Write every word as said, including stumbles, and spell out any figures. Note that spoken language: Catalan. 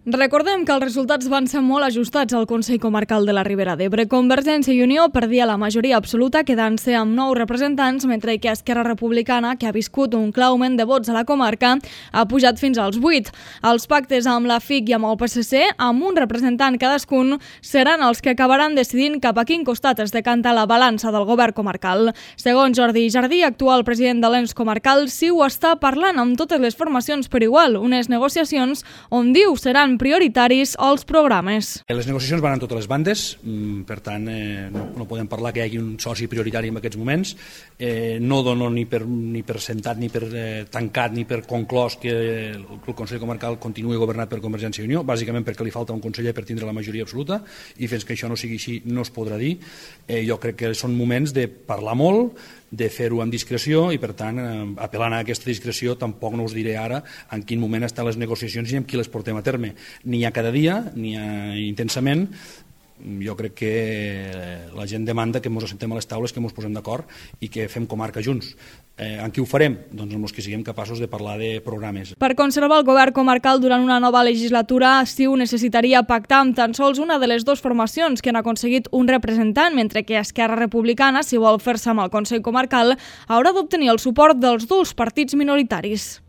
Recordem que els resultats van ser molt ajustats al Consell Comarcal de la Ribera d'Ebre. Convergència i Unió perdia la majoria absoluta, quedant-se amb nou representants, mentre que Esquerra Republicana, que ha viscut un clar augment de vots a la comarca, ha pujat fins als vuit. Els pactes amb la F I C i amb el P S C, amb un representant cadascun, seran els que acabaran decidint cap a quin costat es decanta la balança del govern comarcal. Segons Jordi Jardí, actual president de l'E N S comarcal, CiU està parlant amb totes les formacions per igual, unes negociacions on diu seran prioritaris els programes. Les negociacions van en totes les bandes, per tant eh, no, no podem parlar que hi hagi un soci prioritari en aquests moments. Eh, no dono ni per, ni per sentat, ni per eh, tancat, ni per conclòs que el, el Consell Comarcal continuï governat per Convergència i Unió, bàsicament perquè li falta un conseller per tindre la majoria absoluta, i fins que això no sigui així no es podrà dir. Eh, jo crec que són moments de parlar molt, de fer-ho amb discreció i, per tant, eh, apel·lant a aquesta discreció, tampoc no us diré ara en quin moment estan les negociacions i amb qui les portem a terme. Ni a cada dia, ni a intensament. Jo crec que la gent demanda que ens assentem a les taules, que ens posem d'acord i que fem comarca junts. Eh, en qui ho farem? Doncs amb els que siguem capaços de parlar de programes. Per conservar el govern comarcal durant una nova legislatura, CiU necessitaria pactar amb tan sols una de les dues formacions que han aconseguit un representant, mentre que Esquerra Republicana, si vol fer-se amb el Consell Comarcal, haurà d'obtenir el suport dels dos partits minoritaris.